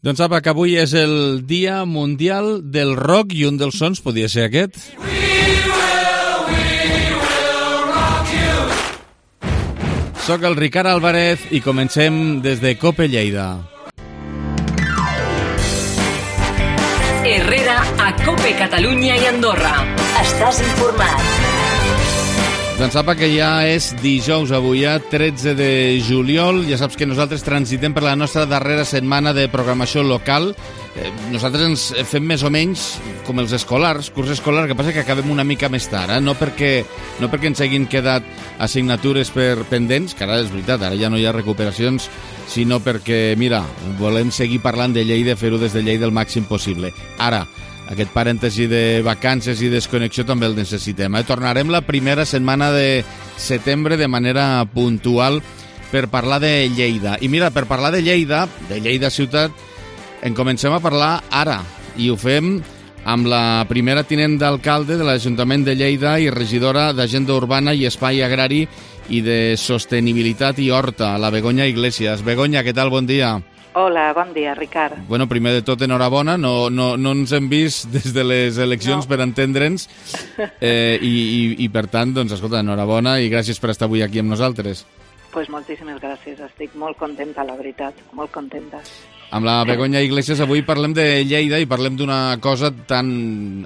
Doncs apa, que avui és el Dia Mundial del Rock i un dels sons podia ser aquest. Soc el Ricard Álvarez i comencem des de Cope Lleida. Herrera a Cope Catalunya i Andorra. Estàs informat. Doncs sapa que ja és dijous avui, 13 de juliol. Ja saps que nosaltres transitem per la nostra darrera setmana de programació local. Nosaltres ens fem més o menys com els escolars, curs escolar, que passa que acabem una mica més tard, no perquè ens hagin quedat assignatures pendents, que ara és veritat, ara ja no hi ha recuperacions, sinó perquè, mira, volem seguir parlant de Lleida, fer-ho des de Lleida el màxim possible. Ara, aquest parèntesi de vacances i desconnexió també el necessitem. Tornarem la primera setmana de setembre de manera puntual per parlar de Lleida. I mira, per parlar de Lleida ciutat, en comencem a parlar ara, i ho fem amb la primera tinent d'alcalde de l'Ajuntament de Lleida i regidora d'Agenda Urbana i Espai Agrari i de Sostenibilitat i Horta, la Begoña Iglesias. Begoña, què tal? Bon dia. Hola, bon dia, Ricard. Bueno, primer de tot, enhorabona. No ens hem vist des de les eleccions per entendre'ns i per tant, doncs, escolta, enhorabona i gràcies per estar avui aquí amb nosaltres. Pues moltíssimes gràcies, estic molt contenta, la veritat, molt contenta. Amb la Begoña Iglesias avui parlem de Lleida i parlem d'una cosa tan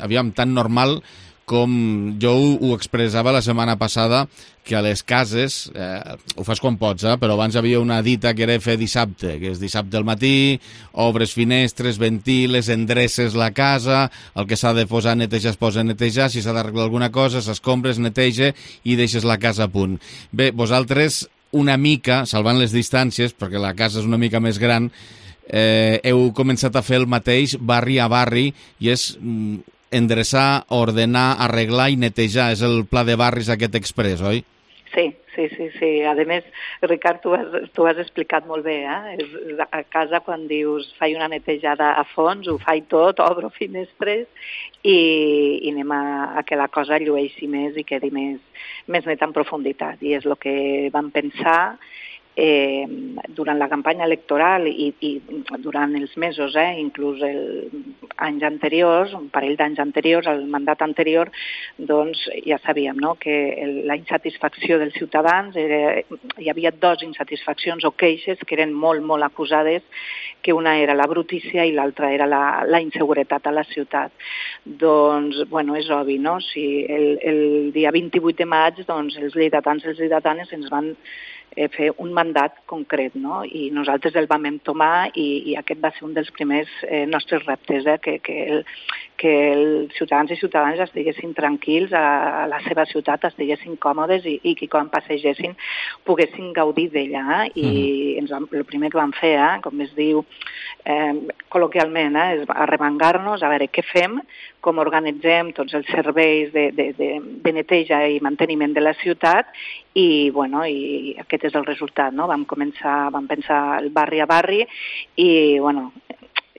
normal com jo ho expressava la setmana passada, que a les cases, ho fas quan pots, però abans hi havia una dita que era fer dissabte, que és dissabte al matí, obres finestres, ventiles, endreces la casa, el que s'ha de posar a netejar es posa a netejar, si s'ha d'arreglar alguna cosa, s'escombres, neteja i deixes la casa a punt. Bé, vosaltres una mica, salvant les distàncies, perquè la casa és una mica més gran, heu començat a fer el mateix barri a barri i és endreçar, ordenar, arreglar i netejar. És el pla de barris aquest express, oi? Sí. A més, Ricard, tu has explicat molt bé, A casa, quan dius faig una netejada a fons, ho faig tot, obro finestres i anem a que la cosa llueixi més i quedi més net en profunditat. I és el que vam pensar durant la campanya electoral i durant els mesos, inclús anys anteriors, un parell d'anys anteriors, el mandat anterior, doncs ja sabíem, no?, que la insatisfacció dels ciutadans, hi havia dues insatisfaccions o queixes que eren molt, molt acusades, que una era la brutícia i l'altra era la inseguretat a la ciutat. Doncs, bueno, és obvi, no? Si el dia 28 de maig, doncs, els lleidatans i les lleidatanes ens van fer un mandat concret, no? I nosaltres el vam entomar i aquest va ser un dels primers nostres reptes, que els ciutadans i ciutadanes estiguessin tranquils a la seva ciutat, estiguessin còmodes i que quan passegessin poguessin gaudir d'ella. I el primer que vam fer, com es diu col·loquialment, és arremangar-nos, a veure què fem, com organitzem tots els serveis de neteja i manteniment de la ciutat i aquest és el resultat, no? Vam pensar el barri a barri i,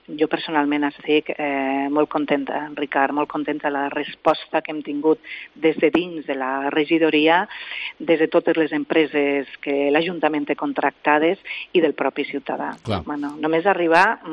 jo personalment estic molt contenta, Ricard, molt contenta de la resposta que hem tingut des de dins de la regidoria, des de totes les empreses que l'Ajuntament té contractades i del propi ciutadà. Només arribar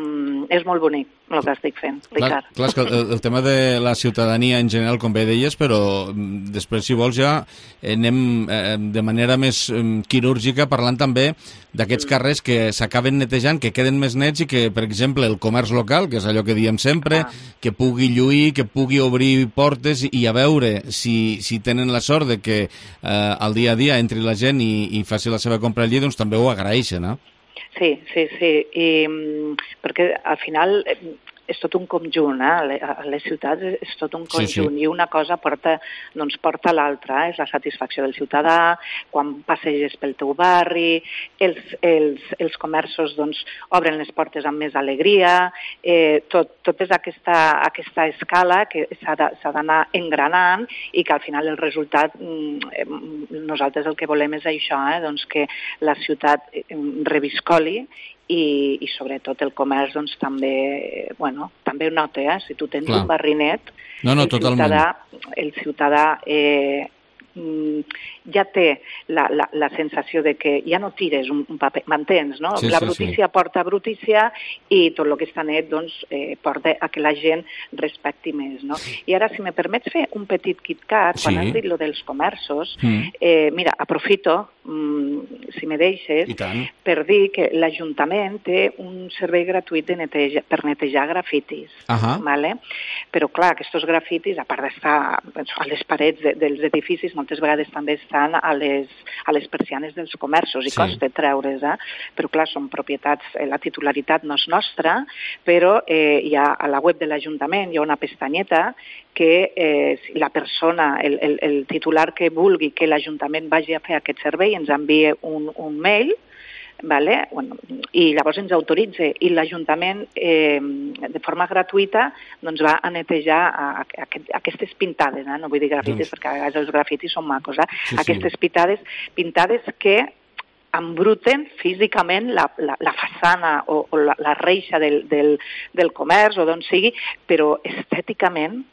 és molt bonic el que estic fent, Ricard. Clar, és que el tema de la ciutadania en general, com bé deies, però després, si vols, ja anem de manera més quirúrgica parlant també d'aquests carrers que s'acaben netejant, que queden més nets i que, per exemple, el comerç local, que és allò que diem sempre, que pugui lluir, que pugui obrir portes i a veure si tenen la sort de que al dia a dia entri la gent i faci la seva compra allí, doncs també ho agraeixen, no? Sí, perquè al final és tot un conjunt, a les ciutats és tot un conjunt i una cosa porta a l'altra, és la satisfacció del ciutadà, quan passeges pel teu barri, els comerços obren les portes amb més alegria, tot és aquesta escala que s'ha d'anar engranant i que al final el resultat, nosaltres el que volem és això, que la ciutat reviscoli i sobretot el comerç també ho nota, si tu tens un barri net, el ciutadà ja té la sensació de que ja no tires un paper, m'entens, no? Sí, la brutícia porta brutícia i tot el que està net doncs, porta a que la gent respecti més, no? I ara, si me permets fer un petit KitKat, quan has dit lo dels comerços, mira, aprofito, si me deixes, per dir que l'Ajuntament té un servei gratuït per netejar grafitis, vale? Però clar, aquests grafitis, a part d'estar a les parets dels edificis, moltes vegades també estan a les persianes dels comerços i costa treure's, però clar, són propietats, la titularitat no és nostra, però hi ha a la web de l'Ajuntament hi ha una pestanyeta que la persona, el titular que vulgui que l'Ajuntament vagi a fer aquest servei ens envia un mail, vale? Bueno, i llavors ens autoritza i l'Ajuntament de forma gratuïta doncs, va a netejar aquestes pintades, no vull dir grafitis perquè a vegades els grafitis són macos, aquestes pintades que embruten físicament la façana o la reixa del comerç o d'on sigui, però estèticament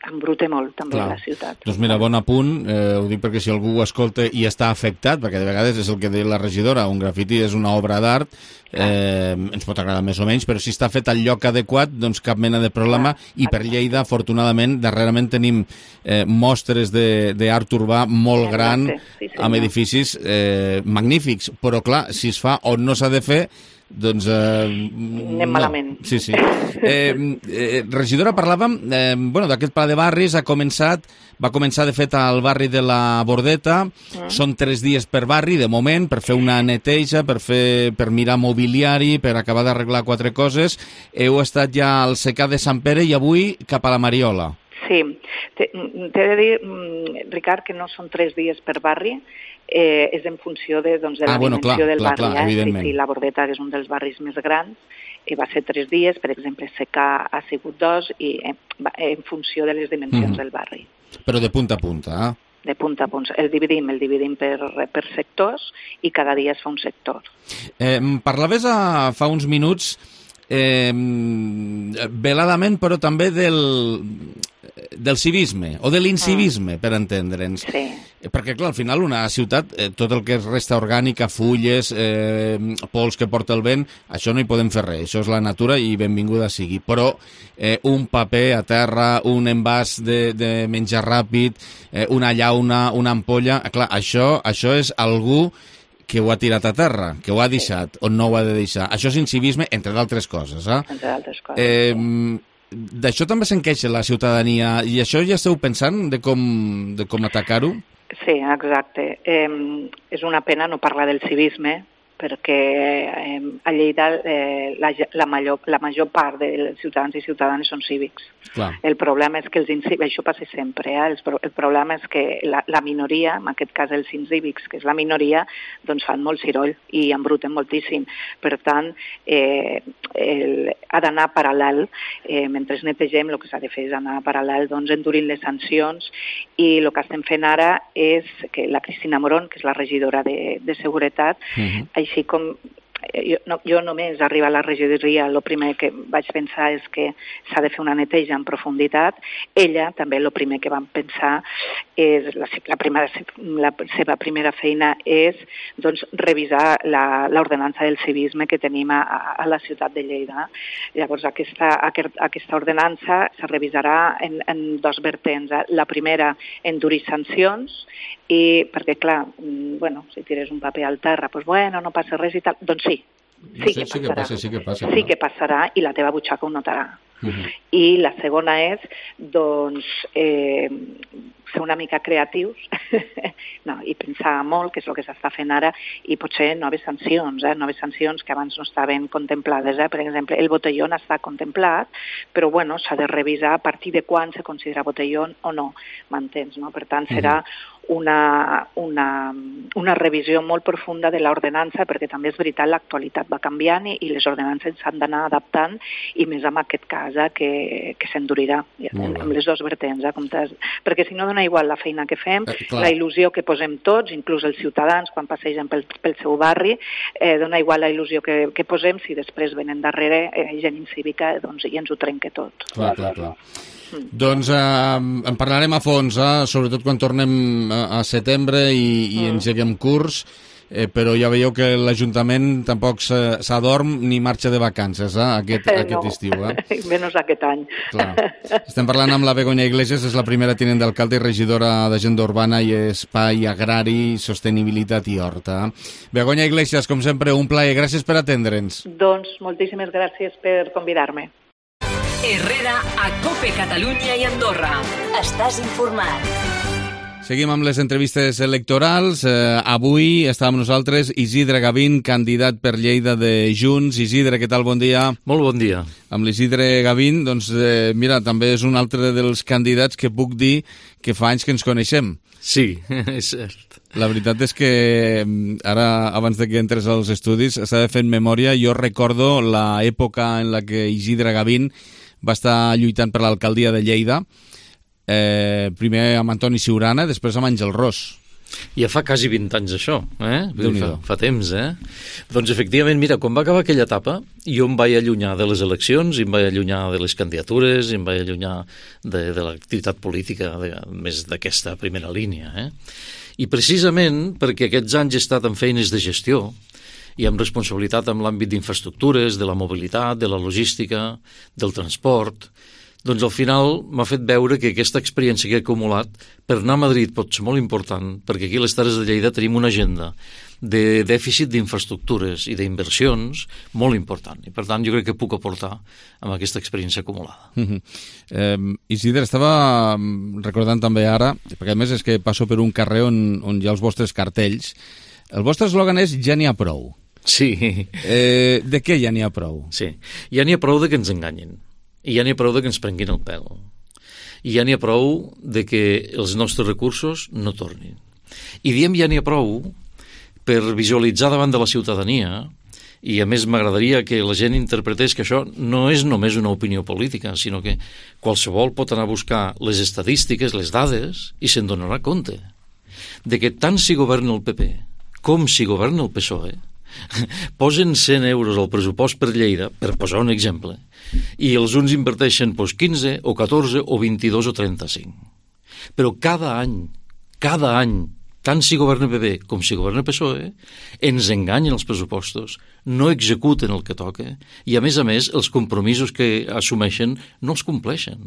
embruta molt també la ciutat. Doncs mira, bon apunt, ho dic perquè si algú ho escolta i està afectat, perquè de vegades és el que deia la regidora, un grafiti és una obra d'art, ens pot agradar més o menys, però si està fet al lloc adequat, doncs cap mena de problema, i per Lleida, afortunadament, darrerament tenim mostres d'art urbà molt gran, amb edificis magnífics, però clar, si es fa on no s'ha de fer, doncs... anem malament. Sí. Regidora, parlàvem d'aquest pla de barris, va començar de fet al barri de la Bordeta, són 3 dies per barri, de moment, per fer una neteja, per mirar mobiliari, per acabar d'arreglar 4 coses. Heu estat ja al Secà de Sant Pere i avui cap a la Mariola. Sí, t'he de dir, Ricard, que no són 3 dies per barri, és en funció de la dimensió del barri. Sí, la Bordeta, que és un dels barris més grans, va ser 3 dies, per exemple, Secà ha sigut 2, i en funció de les dimensions del barri. Però de punta a punta, De punta a punta. El dividim per sectors i cada dia es fa un sector. Parlaves fa uns minuts veladament, però també del civisme, o de l'incivisme, per entendre'ns. Sí. Perquè, clar, al final una ciutat, tot el que és resta orgànica, fulles, pols que porta el vent, això no hi podem fer res, això és la natura i benvinguda sigui. Però un paper a terra, un envàs de menjar ràpid, una llauna, una ampolla, clar, això és algú que ho ha tirat a terra, que ho ha deixat, o no ho ha de deixar. Això és incivisme, entre d'altres coses. Entre d'altres coses, D'això també se'n queixa la ciutadania, i això ja esteu pensant de com atacar-ho? Sí, exacte. És una pena no parlar del civisme, perquè a Lleida la major part dels ciutadans i ciutadanes són cívics. Clar. El problema és que això passa sempre, el problema és que la minoria, en aquest cas els incívics, que és la minoria, doncs fan molt ciroll i embruten moltíssim. Per tant, ha d'anar paral·lel, mentre netegem el que s'ha de fer és anar paral·lel, doncs endurint les sancions, i el que estem fent ara és que la Cristina Morón, que és la regidora de Seguretat, així com jo només arribar a la regidoria, el primer que vaig pensar és que s'ha de fer una neteja en profunditat. Ella també el primer que vam pensar és la seva primera feina és doncs, revisar l'ordenança del civisme que tenim a la ciutat de Lleida. Llavors aquesta ordenança se revisarà en 2 vertents. La primera, endurir sancions, i perquè clar, si tires un paper al terra, no passa res i tal, doncs sí que passarà i la teva butxaca ho notarà. I la segona és doncs ser una mica creatius i pensar molt, que és el que s'està fent ara, i potser noves sancions que abans no estaven contemplades. Per exemple, el botellón està contemplat, però s'ha de revisar a partir de quan se considera botellón o no, m'entens? Per tant, serà una revisió molt profunda de l'ordenança, perquè també és veritat, l'actualitat va canviant i les ordenances s'han d'anar adaptant, i més en aquest cas que s'endurirà amb les 2 vertents, perquè si no dona igual la feina que fem, la il·lusió que posem tots, inclús els ciutadans quan passegen pel seu barri, dona igual la il·lusió que posem si després venen darrere gent incívica i ens ho trenca tot. Clar. Doncs en parlarem a fons, sobretot quan tornem a setembre i engeguem curs, però ja veieu que l'Ajuntament tampoc s'adorm ni marxa de vacances aquest estiu. Menys aquest any. Clar. Estem parlant amb la Begoña Iglesias, és la primera tinent d'alcalde i regidora d'Agenda Urbana i Espai Agrari, Sostenibilitat i Horta. Begoña Iglesias, com sempre, un plaer. Gràcies per atendre'ns. Doncs moltíssimes gràcies per convidar-me. Herrera a COPE Catalunya i Andorra. Estàs informat. Seguim amb les entrevistes electorals. Avui està amb nosaltres Isidre Gavín, candidat per Lleida de Junts. Isidre, què tal? Bon dia. Molt bon dia. Amb l'Isidre Gavín, doncs, mira, també és un altre dels candidats que puc dir que fa anys que ens coneixem. Sí, és cert. La veritat és que ara, abans de que entres als estudis, estava fent memòria. Jo recordo l'època en la que Isidre Gavín va estar lluitant per l'alcaldia de Lleida, primer amb Antoni Siurana, després amb Àngel Ros. Ja fa quasi 20 anys això, fa temps, Doncs efectivament, mira, quan va acabar aquella etapa, jo em vaig allunyar de les eleccions, em vaig allunyar de les candidatures, em vaig allunyar de l'activitat política, més d'aquesta primera línia, I precisament perquè aquests anys he estat en feines de gestió i amb responsabilitat en l'àmbit d'infraestructures, de la mobilitat, de la logística, del transport, doncs al final m'ha fet veure que aquesta experiència que he acumulat per anar a Madrid pot ser molt important, perquè aquí a les Terres de Lleida tenim una agenda de dèficit d'infraestructures i d'inversions molt important. I per tant jo crec que puc aportar amb aquesta experiència acumulada. Isidre, estava recordant també ara, perquè a més és que passo per un carrer on hi ha els vostres cartells. El vostre eslògan és ja n'hi ha prou. Sí. De què ja n'hi ha prou? Sí, ja n'hi ha prou de que ens enganyin. I ja n'hi ha prou de que ens prenguin el pèl. I ja n'hi ha prou de que els nostres recursos no tornin. I diem ja n'hi ha prou per visualitzar davant de la ciutadania, i a més m'agradaria que la gent interpretés que això no és només una opinió política, sinó que qualsevol pot anar a buscar les estadístiques, les dades, i se'n donarà compte de que tant si governa el PP com si governa el PSOE, posen 100 euros al pressupost per Lleida, per posar un exemple, i els uns inverteixen 15 o 14 o 22 o 35. Però cada any, tant si governa PP com si governa PSOE, ens enganyen els pressupostos, no executen el que toca, i a més els compromisos que assumeixen no els compleixen.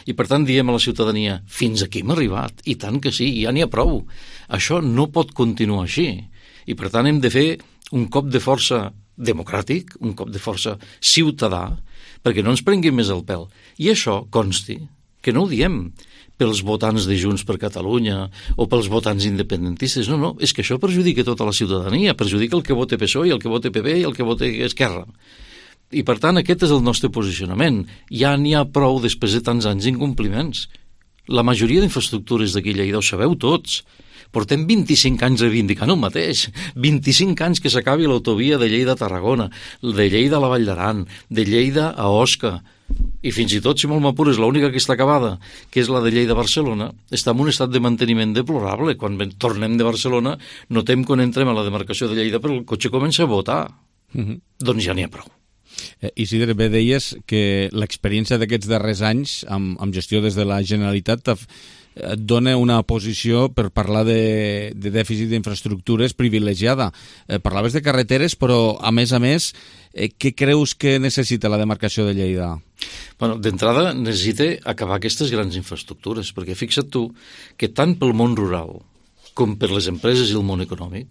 I per tant diem a la ciutadania, fins aquí hem arribat, i tant que sí, ja n'hi ha prou. Això no pot continuar així. I per tant hem de fer un cop de força democràtic, un cop de força ciutadà, perquè no ens prenguin més el pèl. I això consti, que no ho diem pels votants de Junts per Catalunya o pels votants independentistes, no, és que això perjudica tota la ciutadania, perjudica el que vota PSOE, el que vota PP i el que vota Esquerra. I per tant aquest és el nostre posicionament. Ja n'hi ha prou després de tants anys d'incompliments. La majoria d'infraestructures d'aquí a Lleida ho sabeu tots. Portem 25 anys reivindicant el mateix. 25 anys que s'acabi l'autovia de Lleida a Tarragona, de Lleida a la Vall d'Aran, de Lleida a Osca. I fins i tot, si molt m'apures, l'única que està acabada, que és la de Lleida a Barcelona, està en un estat de manteniment deplorable. Quan tornem de Barcelona, notem quan entrem a la demarcació de Lleida, però el cotxe comença a botar. Doncs ja n'hi ha prou. Isidre, bé deies que l'experiència d'aquests darrers anys amb gestió des de la Generalitat et dona una posició per parlar de dèficit d'infraestructures privilegiada. Parlaves de carreteres, però a més, què creus que necessita la demarcació de Lleida? Bueno, d'entrada necessita acabar aquestes grans infraestructures, perquè fixa't tu que tant pel món rural com per les empreses i el món econòmic,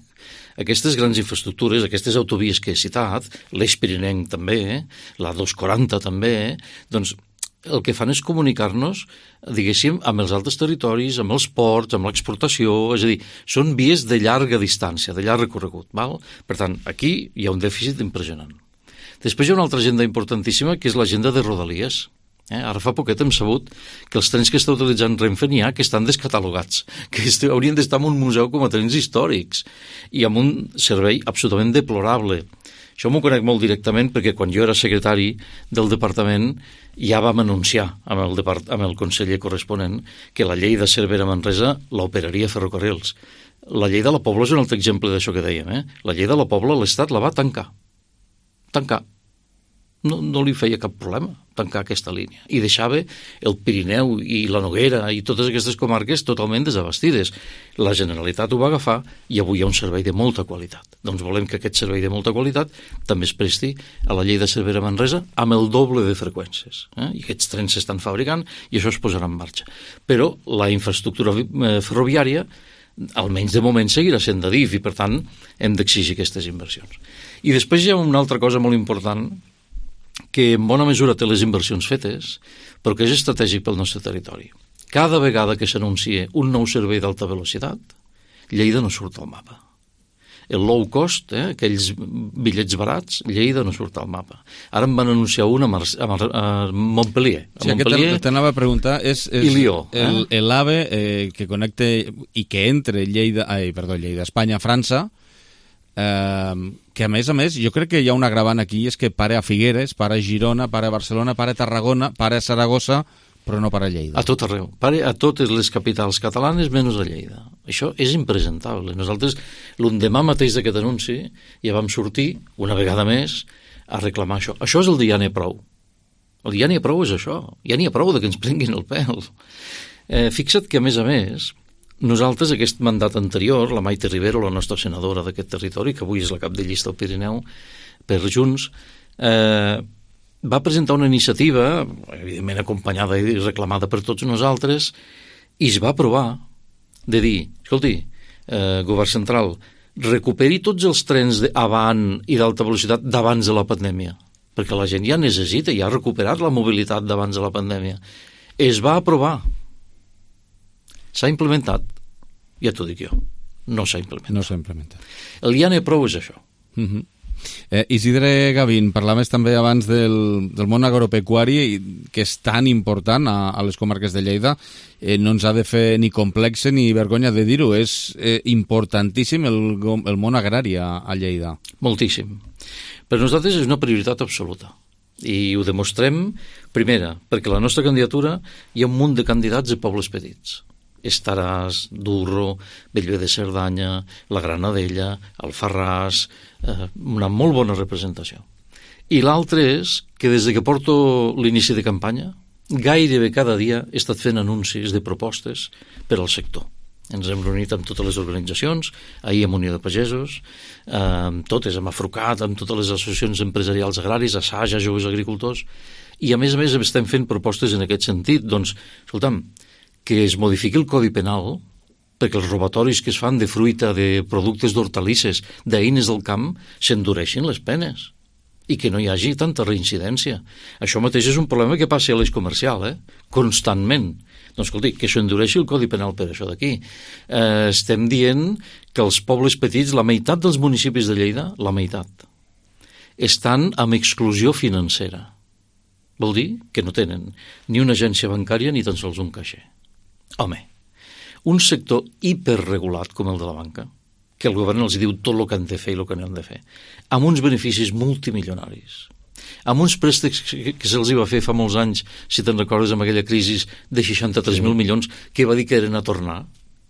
aquestes grans infraestructures, aquestes autovies que he citat, l'Eix Pirinenc també, la 240 també, doncs el que fan és comunicar-nos, diguéssim, amb els altres territoris, amb els ports, amb l'exportació, és a dir, són vies de llarga distància, de llarg recorregut, val? Per tant, aquí hi ha un dèficit impressionant. Després hi ha una altra agenda importantíssima, que és l'agenda de Rodalies. Ara fa poquet hem sabut que els trens que està utilitzant Renfe n'hi ha que estan descatalogats, que haurien d'estar en un museu com a trens històrics i amb un servei absolutament deplorable. Això m'ho conec molt directament perquè quan jo era secretari del departament ja vam anunciar amb el conseller corresponent que la llei de Cervera-Manresa l'operaria Ferrocarrils. La llei de la Pobla és un altre exemple d'això que dèiem. La llei de la Pobla l'Estat la va tancar. No li feia cap problema tancar aquesta línia. I deixava el Pirineu i la Noguera i totes aquestes comarques totalment desabastides. La Generalitat ho va agafar i avui hi ha un servei de molta qualitat. Doncs volem que aquest servei de molta qualitat també es presti a la llei de Cervera-Manresa amb el doble de freqüències. I aquests trens s'estan fabricant i això es posarà en marxa. Però la infraestructura ferroviària, almenys de moment, seguirà sent de DIF i, per tant, hem d'exigir aquestes inversions. I després hi ha una altra cosa molt important que en bona mesura té les inversions fetes, però que és estratègic pel nostre territori. Cada vegada que s'anuncia un nou servei d'alta velocitat, Lleida no surt al mapa. El low cost, aquells bitllets barats, Lleida no surt al mapa. Ara em van anunciar un a Montpellier. Sí, Montpellier t'anava a preguntar, és Lió, l'AVE que connecta i que entre Espanya a França, que a més, jo crec que hi ha un agravant aquí, és que pare a Figueres, pare a Girona, pare a Barcelona, pare a Tarragona, pare a Saragossa, però no pare a Lleida. A tot arreu. Pare a totes les capitals catalanes menys a Lleida. Això és impresentable. Nosaltres, l'endemà mateix d'aquest anunci, ja vam sortir, una vegada més, a reclamar això. Això és el de ja n'hi ha prou. El de ja n'hi ha prou és això. Ja n'hi ha prou de que ens prenguin el pèl. Fixa't que, a més, nosaltres, aquest mandat anterior, la Maite Rivero, la nostra senadora d'aquest territori, que avui és la cap de llista al Pirineu, per Junts, va presentar una iniciativa, evidentment acompanyada i reclamada per tots nosaltres, i es va aprovar de dir, escolti, govern central, recuperi tots els trens d'avant i d'alta velocitat d'abans de la pandèmia, perquè la gent ja necessita, ja ha recuperat la mobilitat d'abans de la pandèmia. Es va aprovar. S'ha implementat? Ja t'ho dic jo. No s'ha implementat. El ja n'hi ha prou és això. Isidre Gavín, parlaves també abans del món agropecuari, que és tan important a les comarques de Lleida. No ens ha de fer ni complexe ni vergonya de dir-ho. És importantíssim el món agrari a Lleida. Moltíssim. Per nosaltres és una prioritat absoluta. I ho demostrem, primera, perquè la nostra candidatura hi ha un munt de candidats de pobles petits. Estaràs, Durro, Bellver de Cerdanya, la Granadella, Alfarràs, una molt bona representació. I l'altre és que des que porto l'inici de campanya, gairebé cada dia he estat fent anuncis de propostes per al sector. Ens hem reunit amb totes les organitzacions, ahir amb Unió de Pagesos, amb totes, amb Afrucat, amb totes les associacions empresarials agraris, Assaja, Joves Agricultors, i a més estem fent propostes en aquest sentit. Doncs, escolta'm, que es modifiqui el Codi Penal perquè els robatoris que es fan de fruita, de productes d'hortalisses, d'eines del camp, s'endureixin les penes i que no hi hagi tanta reincidència. Això mateix és un problema que passa a l'eix comercial, constantment. Doncs, escolti, que s'endureixi el Codi Penal per això d'aquí. Estem dient que els pobles petits, la meitat dels municipis de Lleida, la meitat, estan amb exclusió financera. Vol dir que no tenen ni una agència bancària ni tan sols un caixer. Home, un sector hiperregulat com el de la banca, que el govern els diu tot el que han de fer i el que no han de fer, amb uns beneficis multimilionaris, amb uns préstecs que se'ls va fer fa molts anys, si te'n recordes, amb aquella crisi de 63.000 milions, que va dir que eren a tornar.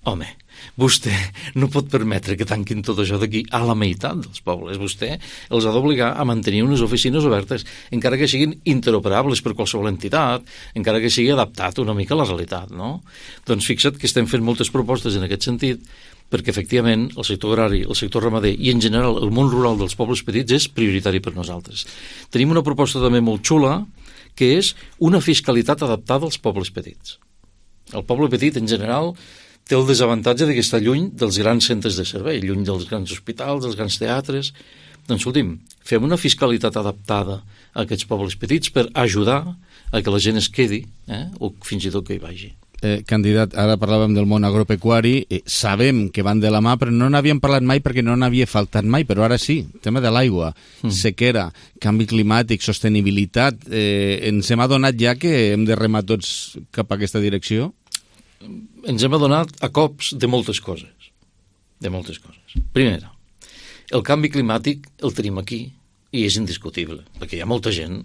Home, vostè no pot permetre que tanquin tot això d'aquí a la meitat dels pobles. Vostè els ha d'obligar a mantenir unes oficines obertes, encara que siguin interoperables per qualsevol entitat, encara que sigui adaptat una mica a la realitat, no? Doncs fixa't que estem fent moltes propostes en aquest sentit, perquè efectivament el sector agrari, el sector ramader i en general el món rural dels pobles petits és prioritari per nosaltres. Tenim una proposta també molt xula, que és una fiscalitat adaptada als pobles petits. El poble petit, en general, té el desavantatge que està lluny dels grans centres de servei, lluny dels grans hospitals, dels grans teatres. Doncs, escolti'm, fem una fiscalitat adaptada a aquests pobles petits per ajudar a que la gent es quedi, o fins i tot que hi vagi. Candidat, ara parlàvem del món agropecuari, sabem que van de la mà, però no n'havíem parlat mai perquè no n'havia faltat mai, però ara sí, tema de l'aigua, sequera, canvi climàtic, sostenibilitat, ens hem adonat ja que hem de remar tots cap a aquesta direcció? Ens hem adonat a cops de moltes coses. Primera, el canvi climàtic el tenim aquí i és indiscutible, perquè hi ha molta gent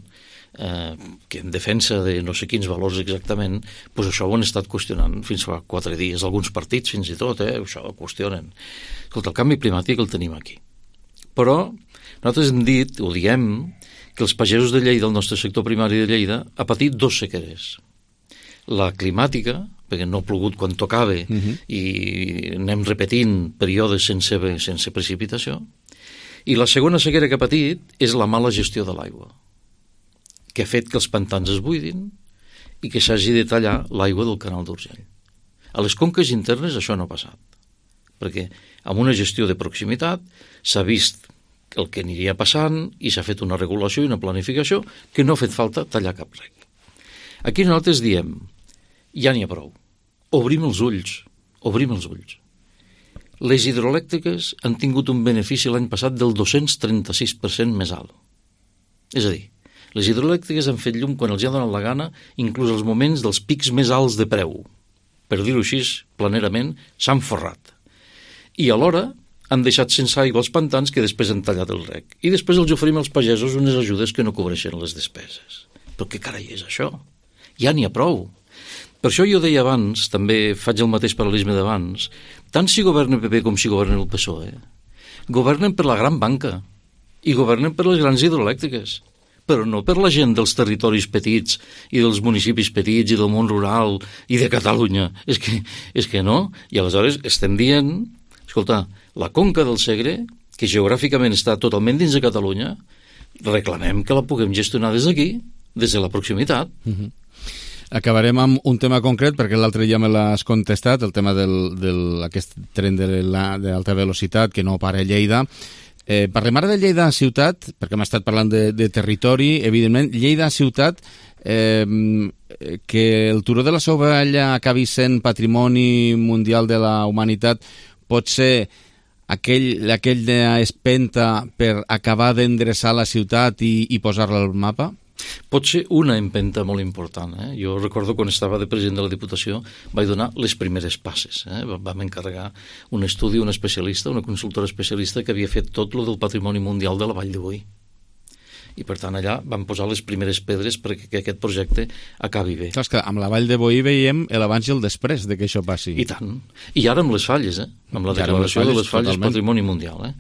que en defensa de no sé quins valors exactament, doncs això ho han estat qüestionant fins fa 4 dies, alguns partits fins i tot, això ho qüestionen. Escolta, el canvi climàtic el tenim aquí. Però nosaltres hem dit, ho diem, que els pagesos de Lleida, el nostre sector primari de Lleida, ha patit 2 sequeres. La climàtica, perquè no ha plogut quan tocava i anem repetint períodes sense precipitació, i la segona sequera que ha patit és la mala gestió de l'aigua, que ha fet que els pantans es buidin i que s'hagi de tallar l'aigua del canal d'Urgell. A les conques internes això no ha passat, perquè amb una gestió de proximitat s'ha vist el que aniria passant i s'ha fet una regulació i una planificació que no ha fet falta tallar cap rec. Aquí nosaltres diem, ja n'hi ha prou, obrim els ulls. Les hidroelèctriques han tingut un benefici l'any passat del 236% més alt. És a dir, les hidroelèctriques han fet llum quan els ha donat la gana, inclús als moments dels pics més alts de preu. Per dir-ho així, planerament, s'han forrat. I alhora han deixat sense aigua els pantans que després han tallat el rec. I després els oferim als pagesos unes ajudes que no cobreixen les despeses. Però què carai és això? Ja n'hi ha prou. Per això jo deia abans, també faig el mateix paral·lelisme d'abans, tant si governa el PP com si governa el PSOE, governen per la gran banca i governen per les grans hidroelèctriques, però no per la gent dels territoris petits i dels municipis petits i del món rural i de Catalunya. És que no. I aleshores estem dient, escolta, la conca del Segre, que geogràficament està totalment dins de Catalunya, reclamem que la puguem gestionar des d'aquí, des de la proximitat. Acabarem amb un tema concret, perquè l'altre ja me l'has contestat, el tema d'aquest tren d'alta velocitat que no para a Lleida. Parlem ara de Lleida ciutat, perquè hem estat parlant de territori, evidentment. Lleida ciutat, que el turó de la Sovella acabi sent patrimoni mundial de la humanitat, pot ser aquella espenta per acabar d'endreçar la ciutat i posar-la al mapa? Pot ser una empenta molt important. Jo recordo quan estava de president de la Diputació vaig donar les primeres passes. Vam encarregar un estudi, un especialista, una consultora especialista que havia fet tot lo del patrimoni mundial de la Vall de Boí. I per tant allà vam posar les primeres pedres perquè aquest projecte acabi bé. Clar, que amb la Vall de Boí veiem l'abans i el després de que això passi. I tant. I ara amb les falles, amb la declaració de les falles totalment. Patrimoni mundial.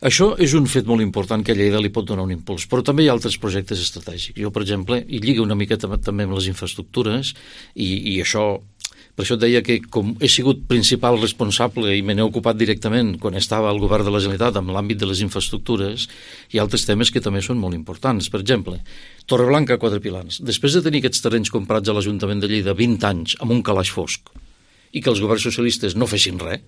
Això és un fet molt important que a Lleida li pot donar un impuls, però també hi ha altres projectes estratègics. Jo, per exemple, i lliga una miqueta també amb les infraestructures, i això, per això et deia que com he sigut principal responsable i me n'he ocupat directament quan estava al govern de la Generalitat amb l'àmbit de les infraestructures, hi ha altres temes que també són molt importants. Per exemple, Torreblanca, Quatre Pilans. Després de tenir aquests terrenys comprats a l'Ajuntament de Lleida 20 anys amb un calaix fosc i que els governs socialistes no fessin res,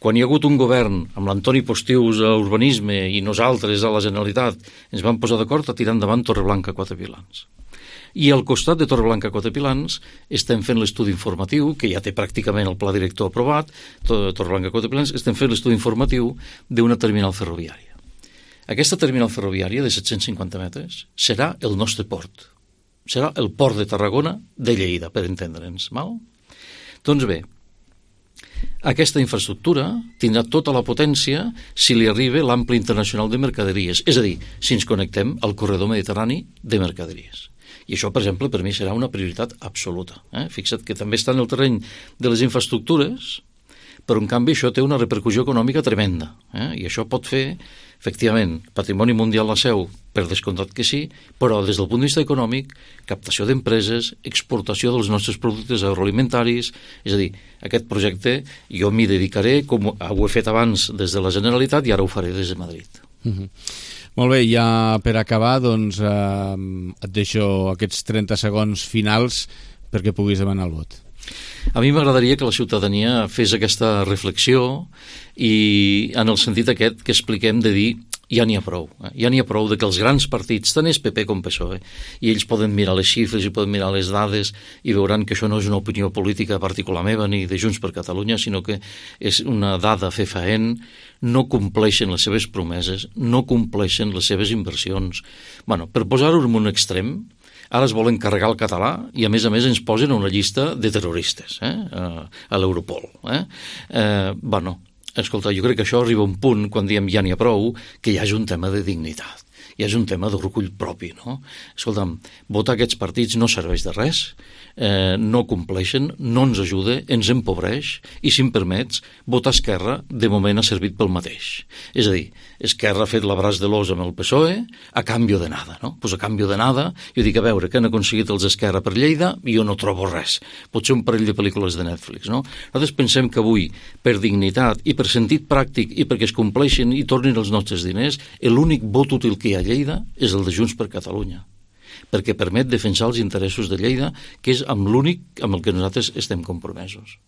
quan hi ha hagut un govern amb l'Antoni Postius a Urbanisme i nosaltres a la Generalitat ens vam posar d'acord a tirar endavant Torreblanca, Quatre Pilans. I al costat de Torreblanca, Quatre Pilans estem fent l'estudi informatiu, que ja té pràcticament el pla director aprovat, Torreblanca, Quatre Pilans, estem fent l'estudi informatiu d'una terminal ferroviària. Aquesta terminal ferroviària de 750 metres serà el nostre port. Serà el port de Tarragona de Lleida, per entendre'ns. Doncs bé, aquesta infraestructura tindrà tota la potència si li arriba l'ample internacional de mercaderies, és a dir, si ens connectem al corredor mediterrani de mercaderies. I això, per exemple, per mi serà una prioritat absoluta. Fixa't que també està en el terreny de les infraestructures, però en canvi això té una repercussió econòmica tremenda. I això pot fer, efectivament, patrimoni mundial la seu, per descomptat que sí, però des del punt de vista econòmic, captació d'empreses, exportació dels nostres productes agroalimentaris, és a dir, aquest projecte jo m'hi dedicaré, com ho he fet abans des de la Generalitat i ara ho faré des de Madrid. Molt bé, ja per acabar, doncs et deixo aquests 30 segons finals perquè puguis demanar el vot. A mi m'agradaria que la ciutadania fes aquesta reflexió i en el sentit aquest que expliquem de dir ja n'hi ha prou. Ja n'hi ha prou de que els grans partits, tant és PP com PSOE, i ells poden mirar les xifres i poden mirar les dades i veuran que això no és una opinió política particular meva ni de Junts per Catalunya, sinó que és una dada fefaent, no compleixen les seves promeses, no compleixen les seves inversions. Per posar-ho en un extrem, ara es volen carregar el català i a més ens posen una llista de terroristes a l'Europol. escolta, jo crec que això arriba a un punt, quan diem ja n'hi ha prou, que hi hagi un tema de dignitat, hi hagi un tema d'orgull propi, no? Escolta'm, votar aquests partits no serveix de res, no compleixen, no ens ajuda, ens empobreix, i si em permets, votar Esquerra de moment ha servit pel mateix. És a dir, Esquerra ha fet l'abraç de l'os amb el PSOE a canvi de nada, no? Pues a canvi de nada, jo dic, a veure, què han aconseguit els Esquerra per Lleida? Jo no trobo res. Potser un parell de pel·lícules de Netflix, no? Nosaltres pensem que avui, per dignitat i per sentit pràctic i perquè es compleixin i tornin els nostres diners, l'únic vot útil que hi ha a Lleida és el de Junts per Catalunya, perquè permet defensar els interessos de Lleida, que és amb l'únic amb el que nosaltres estem compromesos.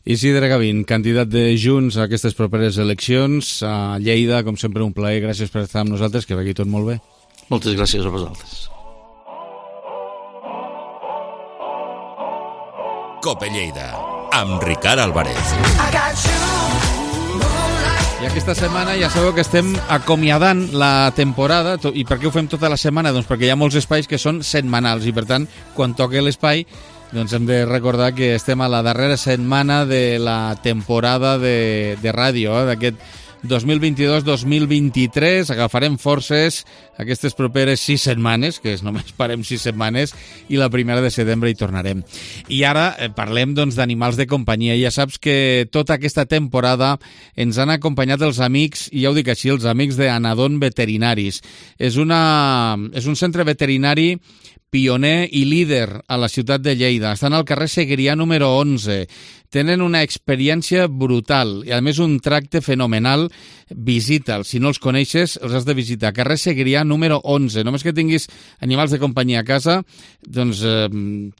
Isidre Gavín, candidat de Junts a aquestes properes eleccions a Lleida, com sempre un plaer, gràcies per estar amb nosaltres, que vagi tot molt bé. Moltes gràcies a vosaltres. Cope Lleida, amb Ricard Álvarez. I aquesta setmana ja sabeu que estem acomiadant la temporada. I per què ho fem tota la setmana? Doncs perquè hi ha molts espais que són setmanals i per tant, quan toca l'espai, doncs hem de recordar que estem a la darrera setmana de la temporada de ràdio, d'aquest 2022-2023. Agafarem forces aquestes properes 6 setmanes, que només parem 6 setmanes, i la primera de setembre hi tornarem. I ara parlem doncs d'animals de companyia. Ja saps que tota aquesta temporada ens han acompanyat els amics, i ja ho dic així, els amics d'Anadon Veterinaris. És un centre veterinari pioner i líder a la ciutat de Lleida. Estan al carrer Segrià número 11. Tenen una experiència brutal i, a més, un tracte fenomenal. Visita'ls. Si no els coneixes, els has de visitar. Carrer Segrià número 11. Només que tinguis animals de companyia a casa, doncs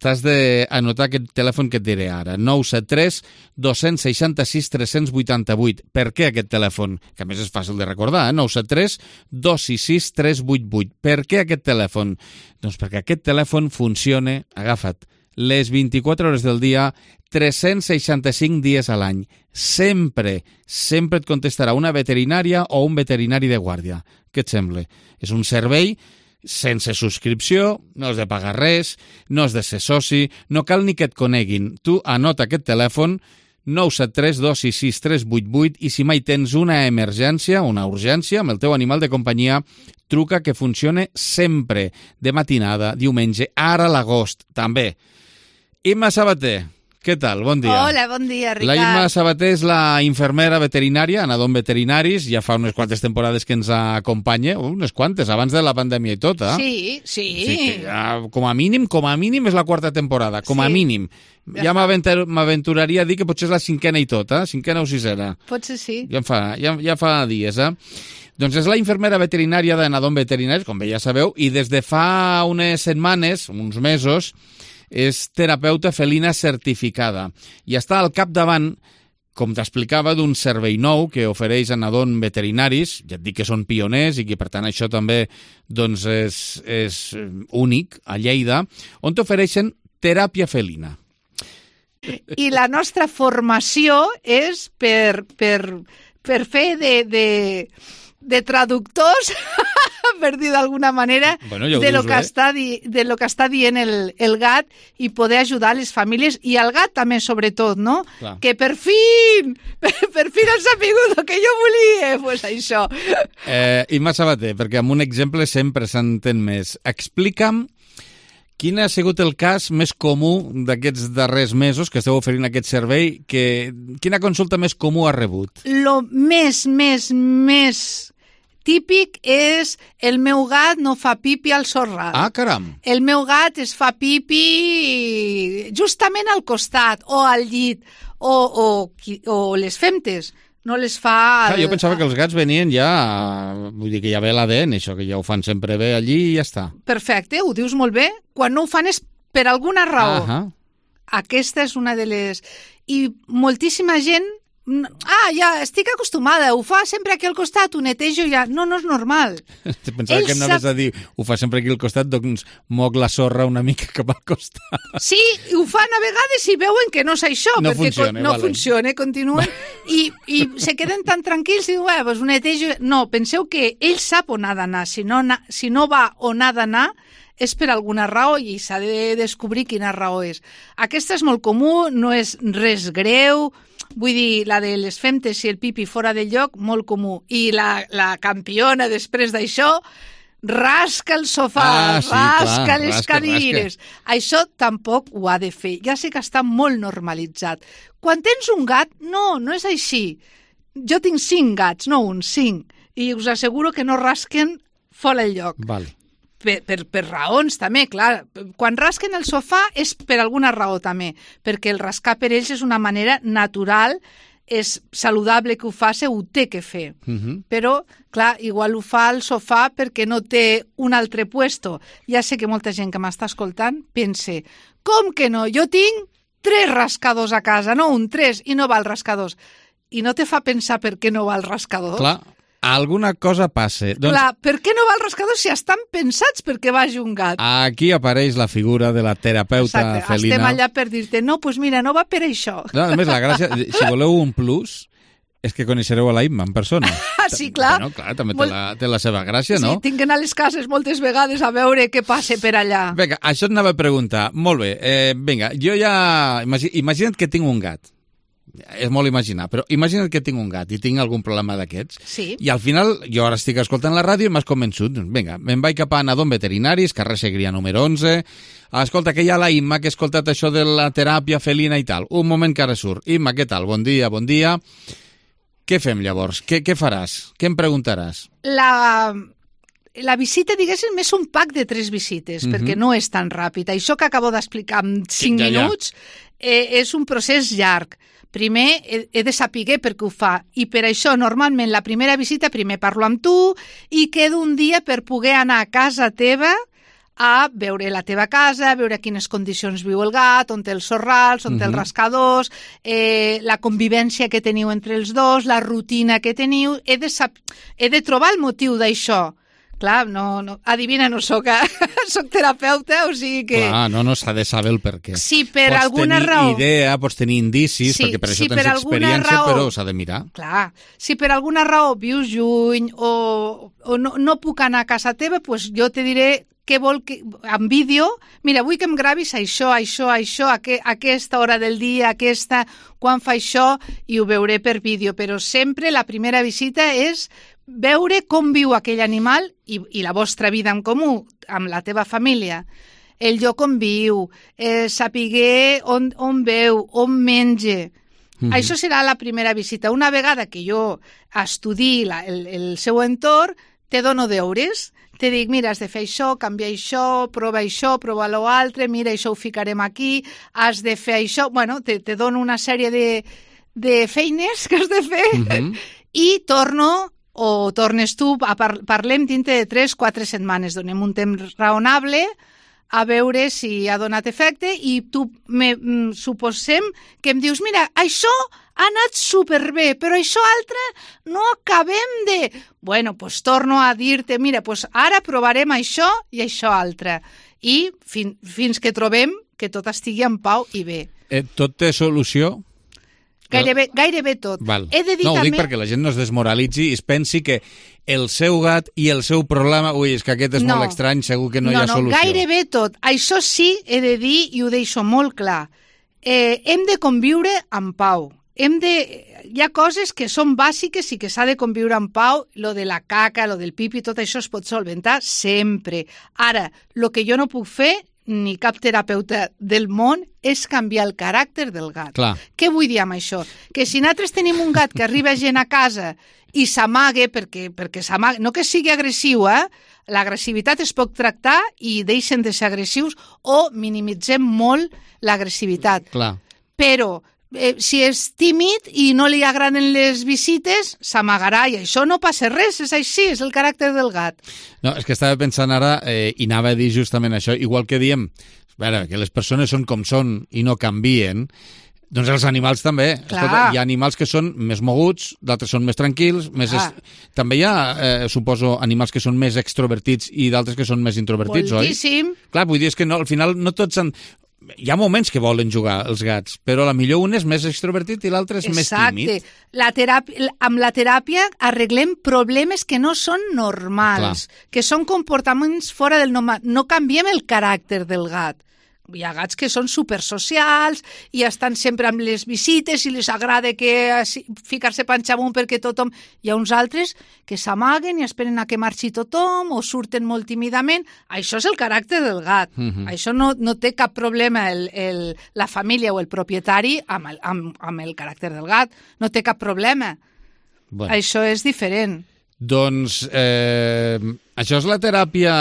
t'has d'anotar aquest telèfon que et diré ara. 973 266 388. Per què aquest telèfon? Que a més és fàcil de recordar, 973 266 388. Per què aquest telèfon? Doncs perquè aquest telèfon funciona, agafa't, les 24 hores del dia, 365 dies a l'any. Sempre et contestarà una veterinària o un veterinari de guàrdia. Què et sembla? És un servei sense subscripció, no has de pagar res, no has de ser soci, no cal ni que et coneguin. Tu anota aquest telèfon, 973 266 388, i si mai tens una emergència, una urgència amb el teu animal de companyia, truca, que funcione sempre, de matinada, diumenge, ara a l'agost, també. Imma Sabater, què tal? Bon dia. Hola, bon dia, Ricard. La Imma Sabater és la infermera veterinària, Anadon Veterinaris, ja fa unes quantes temporades que ens acompanya, unes quantes, abans de la pandèmia i tot, eh? Sí. Sí, ja, com a mínim és la 4ª temporada, com a mínim. Ja m'aventuraria a dir que potser és la 5ª i tot, 5ª o 6ª. Potser sí. Ja fa dies, Doncs és la infermera veterinària d'Anadon Veterinaris, com bé ja sabeu, i des de fa unes setmanes, uns mesos, és terapeuta felina certificada i està al capdavant, com t'explicava, d'un servei nou que ofereix Anadon Veterinaris. Ja et dic que són pioners i que per tant això també doncs, és únic a Lleida, on t'ofereixen teràpia felina. I la nostra formació és per fer de traductors, per dir d'alguna manera, bueno, de lo que està dient el gat, i poder ajudar les famílies i al gat també, sobretot, no? Clar. Que per fi han sabut el que jo volia, pues això. Imma Sabater, perquè amb un exemple sempre s'entén més. Explica'm quin ha sigut el cas més comú d'aquests darrers mesos que esteu oferint aquest servei, quina consulta més comú ha rebut? Lo més típic és el meu gat no fa pipi al sorral. Ah, caram! El meu gat es fa pipi justament al costat o al llit o les femtes. No les fa... Jo pensava que els gats venien ja... Vull dir que ja ve l'ADN, això, que ja ho fan sempre bé allí i ja està. Perfecte, ho dius molt bé. Quan no ho fan és per alguna raó. Aquesta és una de les... I moltíssima gent... ja estic acostumada, ho fa sempre aquí al costat, ho netejo ja... No és normal. Pensava que em anaves a dir, ho fa sempre aquí al costat, doncs moc la sorra una mica cap al costat. Sí, ho fan a vegades i veuen que no és això, no perquè funciona, funciona, continuen, i se queden tan tranquils i diuen, doncs ho netejo... No, penseu que ell sap on ha d'anar, si no va on ha d'anar, és per alguna raó i s'ha de descobrir quina raó és. Aquesta és molt comú, no és res greu, vull dir, la de les femtes i el pipi fora del lloc, molt comú. I la campiona després d'això rasca el sofà, rasca les cadires. Això tampoc ho ha de fer. Ja sé que està molt normalitzat. Quan tens un gat, no és així. Jo tinc 5 gats, no 5. I us asseguro que no rasquen fora el lloc. Vale. Per raons també, clar. Quan rasquen el sofà és per alguna raó també, perquè el rascar per ells és una manera natural, és saludable que ho faci, ho té que fer. Però, clar, igual ho fa al sofà perquè no té un altre puesto. Ja sé que molta gent que m'està escoltant pense, com que no? Jo tinc 3 rascadors a casa, no 3, i no va al rascador. I no te fa pensar per què no va al rascador? Clar, alguna cosa passa. Clar, per què no va al rascador si estan pensats perquè vagi un gat? Aquí apareix la figura de la terapeuta felina. Estem allà per dir-te, no, doncs mira, no va per això. No, a més, la gràcia, si voleu un plus, és que coneixereu a la Imma en persona. Sí, clar. Bueno, clar, també té la seva gràcia, no? Sí, tinc que anar a les cases moltes vegades a veure què passa per allà. Vinga, això et anava a preguntar. Molt bé, vinga, jo ja... Imagina't que tinc un gat. És molt imaginar, però imagina't que tinc un gat i tinc algun problema d'aquests. Sí. I al final, jo ara estic escoltant la ràdio i m'has convençut. Vinga, me'n vaig cap a Nadon Veterinaris, carrer Segrià número 11. Escolta, que hi ha la Imma, que ha escoltat això de la teràpia felina i tal. Un moment que ara surt. Imma, què tal? Bon dia, bon dia. Què fem llavors? Què faràs? Què em preguntaràs? La visita, diguéssim, és un pack de 3 visites, perquè no és tan ràpid. Això que acabo d'explicar en 5 minuts és un procés llarg. Primer he de saber per què ho fa i per això normalment la primera visita primer parlo amb tu i quedo un dia per poder anar a casa teva a veure la teva casa, a veure quines condicions viu el gat, on té els sorrals, on té els rascadors, la convivència que teniu entre els dos, la rutina que teniu. He de trobar el motiu d'això. Clar, no, adivina, no soc terapeuta, o sigui que... Clar, no s'ha de saber el per què. Si per alguna raó... Pots tenir idea, pots tenir indicis, perquè per això tens experiència, però s'ha de mirar. Clar, si per alguna raó vius lluny o no puc anar a casa teva, doncs jo te diré què vol que, en vídeo, mira, vull que em gravis això, a aquesta hora del dia, quan fa això, i ho veuré per vídeo, però sempre la primera visita és veure com viu aquell animal i la vostra vida en comú, amb la teva família, el lloc on viu, saber on veu, on menja. Això serà la primera visita. Una vegada que jo estudi el seu entorn, te dono deures. Te dic, mira, has de fer això, canviar això, prova l'altre, mira, això ho ficarem aquí, has de fer això... Bueno, te dono una sèrie de feines que has de fer i tornes tu, parlem dintre de 3-4 setmanes, donem un temps raonable a veure si ha donat efecte i tu suposem que em dius, mira, això ha anat superbé, però això altre no acabem de... Bueno, doncs torno a dir-te, mira, doncs ara provarem això i això altre. I fins que trobem que tot estigui en pau i bé. Tot té solució? Gairebé tot. Val. He de dir no, ho dic perquè la gent no es desmoralitzi i es pensi que el seu gat i el seu problema... Ui, és que aquest és molt estrany, segur que no hi ha solució. No, gairebé tot. Això sí, he de dir, i ho deixo molt clar, hem de conviure en pau. Hi ha coses que són bàsiques i que s'ha de conviure en pau, lo de la caca, lo del pipi, tot això es pot solventar sempre. Ara, el que jo no puc fer, ni cap terapeuta del món, és canviar el caràcter del gat. Clar. Què vull dir amb això? Que si nosaltres tenim un gat que arriba gent a casa i s'amaga, perquè s'amaga, no que sigui agressiu, l'agressivitat es pot tractar i deixen de ser agressius o minimitzem molt l'agressivitat. Clar. Però si és tímid i no li agraden les visites, s'amagarà i això no passa res, és així, és el caràcter del gat. No, és que estava pensant ara i anava a dir justament això, igual que diem que les persones són com són i no canvien, doncs els animals també. Escolta, hi ha animals que són més moguts, d'altres són més tranquils, també hi ha, suposo, animals que són més extrovertits i d'altres que són més introvertits, moltíssim. Oi? Clar, vull dir, és que no, al final no tots han... hi ha moments que volen jugar els gats, però a la millor un és més extrovertit i l'altre és més tímid. Exacte. Amb la teràpia arreglem problemes que no són normals, que són comportaments fora del normal. No canviem el caràcter del gat. Hi ha gats que són supersocials i estan sempre amb les visites i els agrada ficar-se panxa amunt perquè tothom... Hi ha uns altres que s'amaguen i esperen a que marxi tothom o surten molt tímidament. Això és el caràcter del gat. Això no té cap problema la família o el propietari amb el caràcter del gat. No té cap problema. Bueno. Això és diferent. Doncs això és la teràpia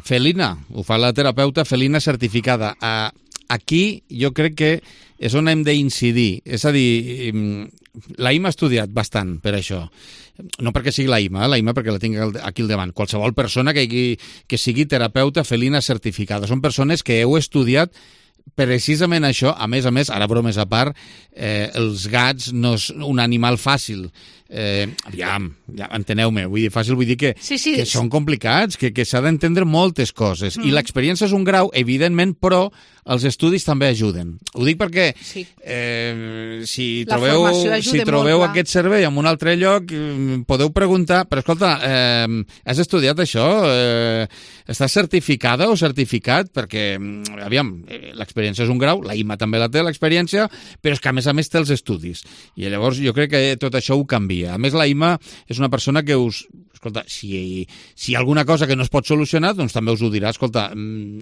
felina, ho fa la terapeuta felina certificada. Aquí jo crec que és on hem d'incidir, és a dir, la Ima ha estudiat bastant per això, no perquè sigui la Ima perquè la tinc aquí al davant, qualsevol persona que sigui terapeuta felina certificada, són persones que heu estudiat precisament això. A més, ara bromes a part, els gats no és un animal fàcil. Aviam, enteneu-me, vull dir que són complicats, que s'ha d'entendre moltes coses. I l'experiència és un grau, evidentment, però els estudis també ajuden. Ho dic perquè si trobeu aquest servei en un altre lloc, podeu preguntar, però escolta, has estudiat això? Estàs certificada o certificat? Perquè, aviam, l'experiència és un grau, la Ima també la té, l'experiència, però és que a més té els estudis. I llavors jo crec que tot això ho canvia. A més, la Ima és una persona que escolta, si hi ha alguna cosa que no es pot solucionar, doncs també us ho dirà. Escolta,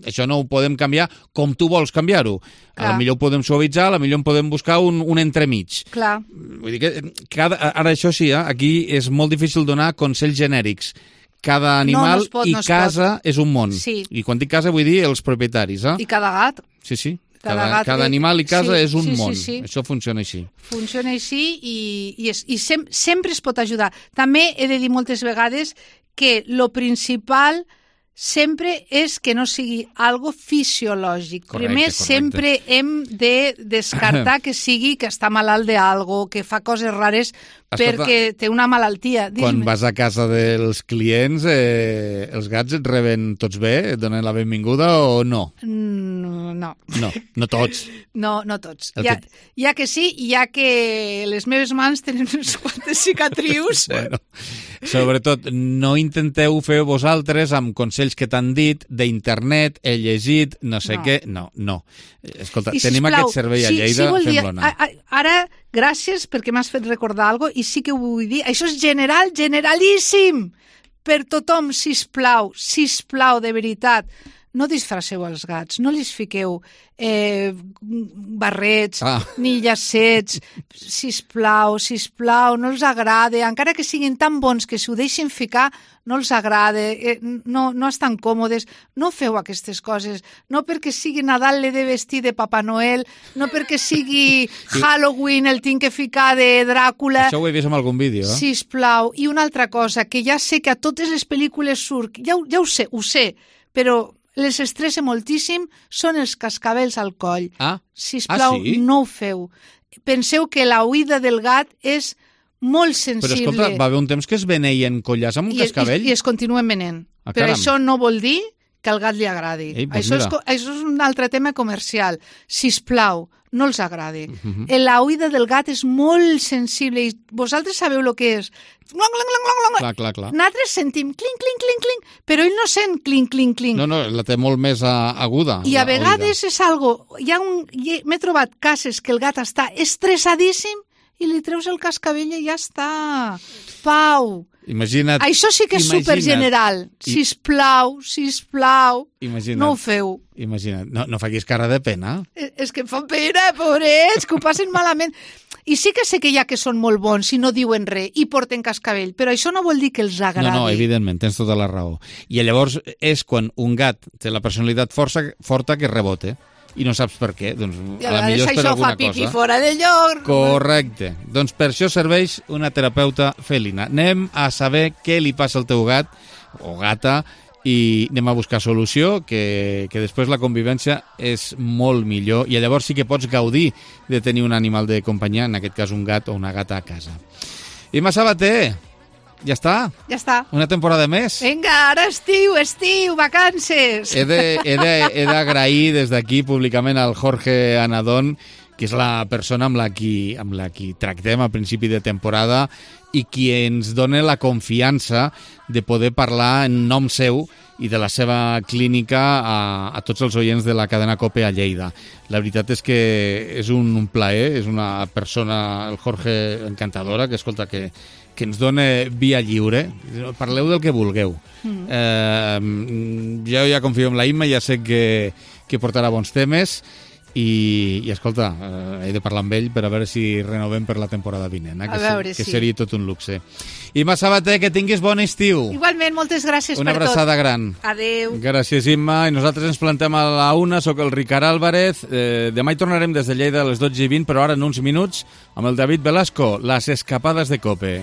això no ho podem canviar com tu vols canviar-ho. A la millor ho podem suavitzar, a la millor podem buscar un entremig. Clar. Vull dir que ara això sí, aquí és molt difícil donar consells genèrics. Cada animal casa és un món. Sí. I quan dic casa vull dir els propietaris. I cada gat. Sí. Cada animal i casa és un món. Sí. Això funciona així. Funciona així i sempre es pot ajudar. També he de dir moltes vegades que lo principal sempre és que no sigui algo fisiològic. Primer, sempre hem de descartar que sigui que està malalt d'algo, que fa coses rares perquè té una malaltia. Quan vas a casa dels clients, els gats et reben tots bé? Et donen la benvinguda o no? No. No tots. No tots. Hi ha que sí, i hi ha que les meves mans tenen unes quantes cicatrius. Bueno, sobretot, no intenteu fer vosaltres amb consells que t'han dit d'internet, he llegit, no sé què. No. Escolta, tenim aquest servei a Lleida, fem-lo anar. Ara, gràcies perquè m'has fet recordar alguna cosa i sí que ho vull dir. Això és generalíssim per tothom, sisplau, de veritat. No disfresseu els gats, no li fiqueu barrets ni llacets, sisplau, no els agrada, encara que siguin tan bons que si ho deixin ficar, no els agrada, no estan còmodes, no feu aquestes coses, no perquè sigui Nadal l'he de vestir de Papa Noel, no perquè sigui Halloween el tinc que ficar de Dràcula. Això ho he vist en algun vídeo, Sisplau, i una altra cosa, que ja sé que a totes les pel·lícules surt, ja ho sé, però les estressa moltíssim són els cascabels al coll. Sisplau, no ho feu. Penseu que la oïda del gat és molt sensible. Però escolta, va haver un temps que es beneien collars amb un cascabell? I es continuen venent. Però això no vol dir que al gat li agradi. Això és un altre tema comercial. Sisplau, no els agrada. La oïda del gat és molt sensible i vosaltres sabeu el que és. Clar. Nosaltres sentim clink, clink, clink, clink, però ell no sent clink, clink, clink. No, la té molt més aguda. I a vegades és algo... M'he trobat cases que el gat està estressadíssim i li treus el cascabell i ja està. Pau. Imagina't. Això sí que és supergeneral. Sisplau. No ho feu. Imagina't. No facis cara de pena. És que em fan pena, pobrets, que ho passen malament. I sí que sé que hi ha que són molt bons i no diuen res i porten cascabell, però això no vol dir que els agradi. No, evidentment, tens tota la raó. I llavors és quan un gat té la personalitat forta que rebota. I no saps per què. Doncs, a la millor és per alguna cosa. Això fa pipí fora de lloc. Correcte. Doncs per això serveix una terapeuta felina. Anem a saber què li passa al teu gat o gata i anem a buscar solució, que després la convivència és molt millor i llavors sí que pots gaudir de tenir un animal de companyia, en aquest cas un gat o una gata a casa. Ima Sabater, Ja està? Ja està. Una temporada més. Vinga, ara estiu, vacances. He d'agrair des d'aquí públicament al Jorge Anadón, que és la persona amb la qui tractem a principi de temporada i qui ens dona la confiança de poder parlar en nom seu i de la seva clínica a tots els oients de la cadena COPE a Lleida. La veritat és que és un plaer, és una persona, el Jorge, encantadora, que escolta, que ens dona via lliure. Parleu del que vulgueu. Jo ja confio en la Imma, ja sé que portarà bons temes i escolta, he de parlar amb ell per a veure si renovem per la temporada vinent, que seria tot un luxe. Imma Sabater, que tinguis bon estiu. Igualment, moltes gràcies per tot. Una abraçada gran. Adéu. Gràcies, Imma. I nosaltres ens plantem a la 1, soc el Ricard Álvarez. Demà hi tornarem des de Lleida a les 12:20, però ara en uns minuts amb el David Velasco, les escapades de COPE.